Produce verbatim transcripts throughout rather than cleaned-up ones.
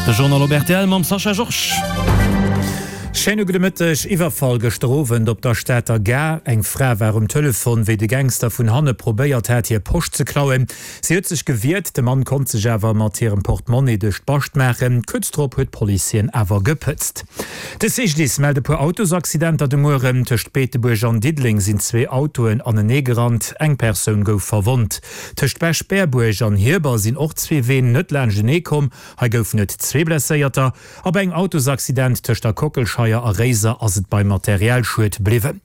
De Journal op rtl mam Sascha Georges. Schéine gudde Mëtteg. Iwwerfall gëschter Owend op der Stater Gare. Eng Fra war um Telefon, wéi de Gangster vun hanne probéiert hat, hir Posch ze klauen. Si huet sech gewiert, de Mann konnt sech awer mat hirem Portemonnaie duerch d'Bascht maachen. Kuerz drop huet d'Police hien awer gepëtzt. De C G D I S mellt e puer Autosaccidenter de Mueren. Tëscht Beetebuerg an Diddeleng sinn zwee Autoen aneneegerannt, eng Persoun gouf verwonnt. Tëscht Bech-Berbuerg an Hierber sinn och zwee Ween net laanschtenee komm, hei goufen et zwee Blesséierter. A bei engem Autosaccident tëscht der Kockelscheier a Réiser ass et beim Materialschued bliwwen.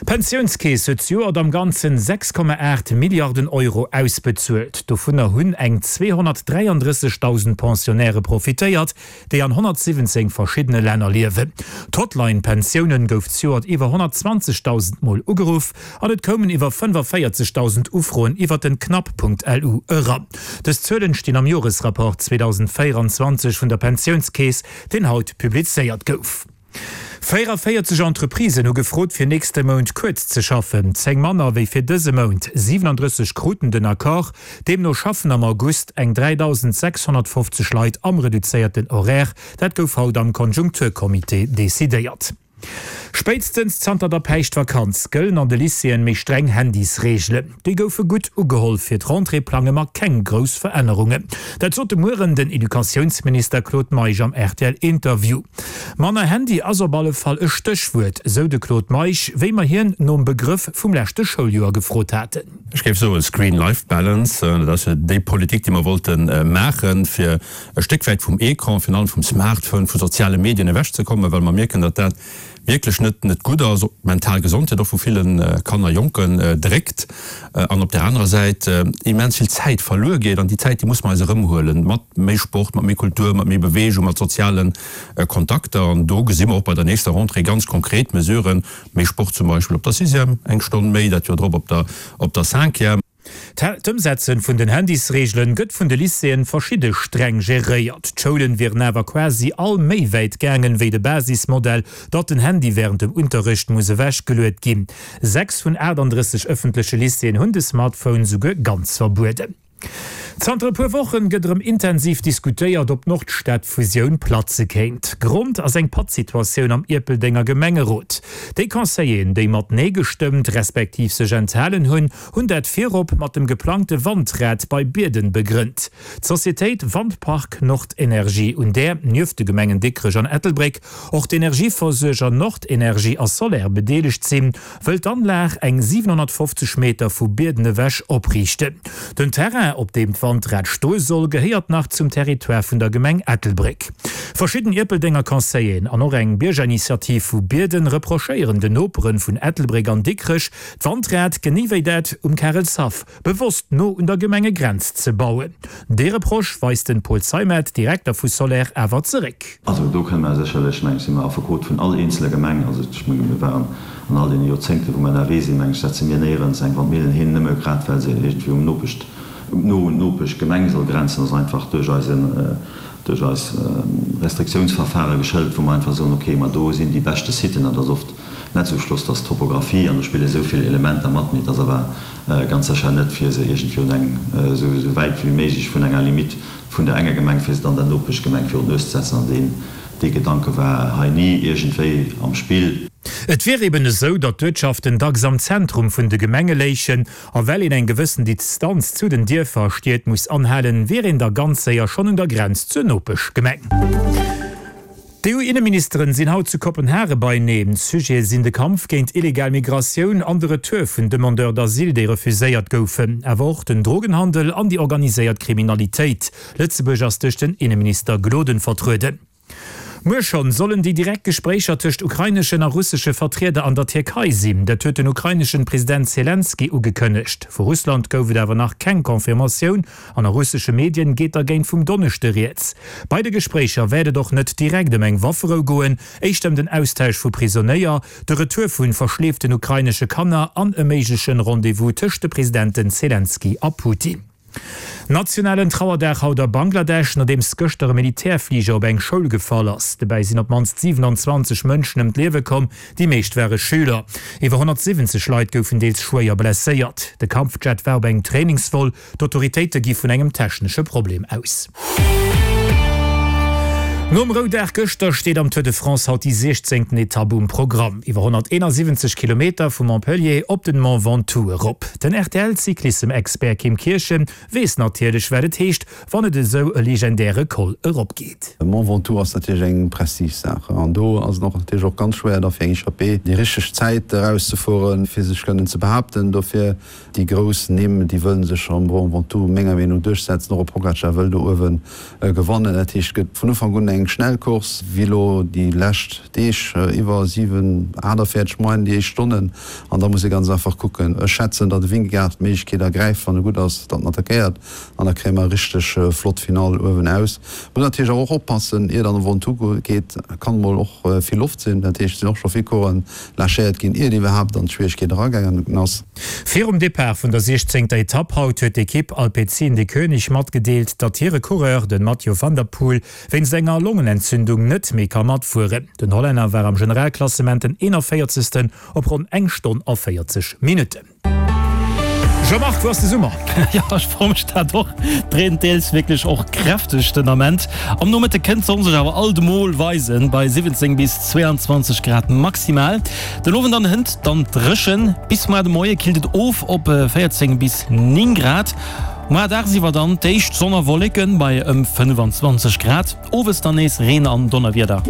D'Pensiounskeess huet zejoert am Ganzen sechs Komma aacht Milliarden Euro ausbezuelt. Dovunner hunn eng zweehonnertdräiandrëssegdausend Pensionnairë profitéiert, déi an honnertsiwwenzéng verschiddene Länner liewen. D'Hotline Pensiounen gouf zejoert iwwer honnertzwanzegdausend Mol ugeruff an et koumen iwwer fënnefavéierzegdausend Ufroen iwwer den Cnap Punkt L U eran. Dës Zuelen stinn am Joresrapport zweedausendvéieranzwanzeg vun der Pensiounskeess, deen haut publizéiert gouf. Véierevéierzeg Entreprisen hu gefrot, fir nächste Mount kuerz ze schaffen, zéng manner wéi fir dëse Mount. siwenandrësseg kruten den Accord. Deemno schaffen am August eng dräidausendsächshonnertfofzeg Leit am reduzéierten Horaire. Dat gouf haut am Konjunkturcomité decidéiert. Spéitstens zanter der Päischtvakanz gëllen an de Lycéeën méi streng Handysreegelen. Déi goufe gutt ugeholl, fir d'Rentrée plange mer keng grouss Verännerungen. Dat sot de Mueren den Educatiounsminister Claude Meisch am R T L-Interview. Manner Handy ass op alle Fall e Stéchwuert, sou de Claude Meisch, wéi mer hien nom Begrëff vum leschte Schouljoer gefrot haten. Ech géif soen Screen-Life-Balance, dat ass jo déi Politik, déi mer wollte maachen, fir e Stéck wäit vum Ecran, virun allem vum Smartphone, vu soziale Medien ewechzekommen, well mer mierken, datt dat wierklech net net gutt ass, op d'mental Gesondheet och vu ville Kanner, Jonken dréckt an op där anerer Säit immens vill Zäit verluer geet. An déi Zäit, déi muss mer eis erëmhuelen, mat méi Sport, mat méi Kultur, mat méi Beweegung, mat soziale Kontakter. An do gesi mer och bei der nächster Rentrée ganz konkret Mesuren, méi Sport zum Beispill op der Sixième, eng Stonn méi, dat Joer drop op der op der Cinquième. D'Ëmsetzen vun den Handysreegelen gëtt vun de Lycéeën verschidde streng geréiert. D'Schoulen wieren awer quasi all méi wäit gaangen wéi de Basismodell, datt den Handy wärend dem Unterrecht muss ewechgeluet ginn. Sechs vun aachtanddrësseg ëffentleche Lycéeën hunn de Smartphone souguer ganz verbueden. Zanter e puer Wochen gëtt erëm intensiv diskutéiert, ob d'Nordstad-Fusioun platze kéint. Grond ass eng Pattsituatioun am Ierpeldenger Gemengerot. Déi Conseilleren, déi mat Nee gestëmmt, respektiv sech enthalen hunn, hunn dat virop mat dem geplangte Wandrad bei Bierden begrënnt. D'Societéit Wandpark Nordenergie, un där nieft de Gemengen Dikrech an Ettelbréck och d'Energieversuerger Nordenergie a Soler bedeelegt sinn, wëll d'Anlag eng siwenhonnertfofzeg Meter vu Bierden ewech opriichten. Den Terrain, op deem d'Wandrad stoe soll, gehéiert nach zum Territoire vun der Gemeng Ettelbréck. Verschidden Ierpeldenger Conseilleren an och eng Biergerinitiativ vu Bierden reprochéieren den Nopere vun Ettelbréck an Dikrech, d'Wandrad, genee wéi dat um Karelshaff, bewosst no un der Gemengegrenz ze bauen. Dee Reproche weist den Paul Zeimet, Direkter vu Soler, awer zeréck. Also do kënne mer sécherlech, meng ech, si mer Affekot vun all eenzeler Gemeng. Also ech menge mir waren an all deene Joerzéngte wou mer ënnerwee sinn, meng ech, setze mir néierens eng Wandmillen hin, nëmme grad well se iergendwéi um Nopecht, no un d'Nopeschgemeng soll grenzen. Ass einfach duerch eisen, duerch eis Restriktiounsverfahre geschëlt, wou mer einfach soen, okay, ma do sinn déi beschte Siten, an dat ass oft net esou schloss, dass d'Topographie, an do spille esou vill Elementer mat, mee et ass awer ganz sécher net, fir se iergendwéi un eng, esou wäit wéi méiglech vun enger Limite vun der enger Gemeng, fir se dann der Nopeschgemeng virun d'Nues ze setzen. An deen, dee Gedanke war hei ni iergendwéi am Spill. Et wier eben esou, datt d'Uertschaften dacks am Zentrum vun de Gemenge léichen, a well een eng gewëssen Distanz zu den Dierfer a Stied muss anhalen, wier een da ganz séier schonn un der Grenz zur Nopeschgemeng. D'E U-Inneministeren sinn haut zu Kopenhage beieneen. Sujete sinn de Kampf géint illegal Migratioun an de Retour vun Demandeurs d'asile, déi refuséiert goufen, awer och den Drogenhandel an déi organiséiert Kriminalitéit. Lëtzebuerg ass duerch den Inneminister Gloden vertrueden. Muer schonn sollen déi direkt Gespréicher tëscht ukraineschen a russesche Vertrieder an der Tierkei sinn. Dat huet den ukraineschen President Selenskyj ugekënnegt. Vu Russland gouf et awer nach keng Confirmatioun an a russesche Medien geet dergéint vum Donneschde rieds. Bei de Gespréicher wäert et och net direkt ëm eng Wafferou goen, éischter ëm den Austausch vu Prisonéier, de Retour vu verschleeften ukrainesche Kanner an e méiglechen Rendez-vous tëscht de Presidenten Selenskyj a Putin. Nationalen Trauerdag haut a Bangladesch, nodeems gëschter e Militärfliger op eng Schoul gefall ass. Dobäi sinn op d'mannst siwenanzwanzeg Mënschen ëm d'Liewe komm, déi meescht ware Schüler. Iwwer honnertsiwwenzeg Leit goufen deels schwéier blesséiert. De Kampfjet war op engem Trainingsvol. D'Autoritéite gi vun engem technesche Problem aus. Nom Roudag gëschter steet am Tour de France haut déi siechzéngten Etapp um Programm, iwwer honnerteenasiwwenzeg Kilometer vu Montpellier op den Mont Ventoux erop. Den R T L-Cyclissem-Expert Kim Kirchen weess natierlech, wat et heescht, wann et esou e legendäre Col erop geet. De Mont Ventoux ass natierlech eng Prestigesaach an do ass et och natierlech och ganz schwéier da fir eng Echappée déi richteg Zäit erauszefueren, fir sech kënnen ze behaapten. Dofir déi grouss Nimm, déi wëllen sech am Mont Ventoux menger Meenung no duerchsetzen. Och e Pogacar wëll do uewe gewannen. Dat heescht, et gëtt vun Ufank un eng schnell Course, wéi elo déi lescht Deeg, iwwer siwen, aachtavéierzeg Moien déi éischt Stonnen. An da muss ee ganz einfach kucken. Ech schätzen, datt de Vingegaard d'Méiglechkeet ergräift, wann e gutt ass, datt en attackéiert an da kréie mer e richteg flott Finall uewen aus. Muss natierlech awer och oppassen, iert an de Ventoux geet, kann mol och vill Loft sinn. Dat heescht, et sinn och scho vill Coureuren lâchéiert ginn, iert iwwerhaapt an d'Schwieregkeet eragaangen ass. Virum Depart vun der siechzéngter Etapp haut huet d'Ekipp Alpecin-Deceuninck matgedeelt, datt hire Coureur, den Mathieu van der Poel, wéinst enger Longenentzündung net méi ka matfueren. Den Hollänner war am Generalklassement den eenanvéierzegsten op ronn eng Stonn a véierzeg Minutten. Jean-Marc, wou ass de Summer? Jo, ech froe mech dat och. Et reent deels wierklech och kräfteg den Ament. Am Nomëtte kënnt d'Sonn sech awer alt emol weisen, bei siwwenzéng bis zweeanzwanzeg Grad maximal. Den Owend dann hënt dann d'Dréchen. Bis muar de Moie killt et of op véierzéng bis néng Grad. Muar dagsiwwer dann d'éischt Sonn a Wolleken bei ëm fënnefanzwanzeg Grad. Owes dann nees Reen an Donnerwieder.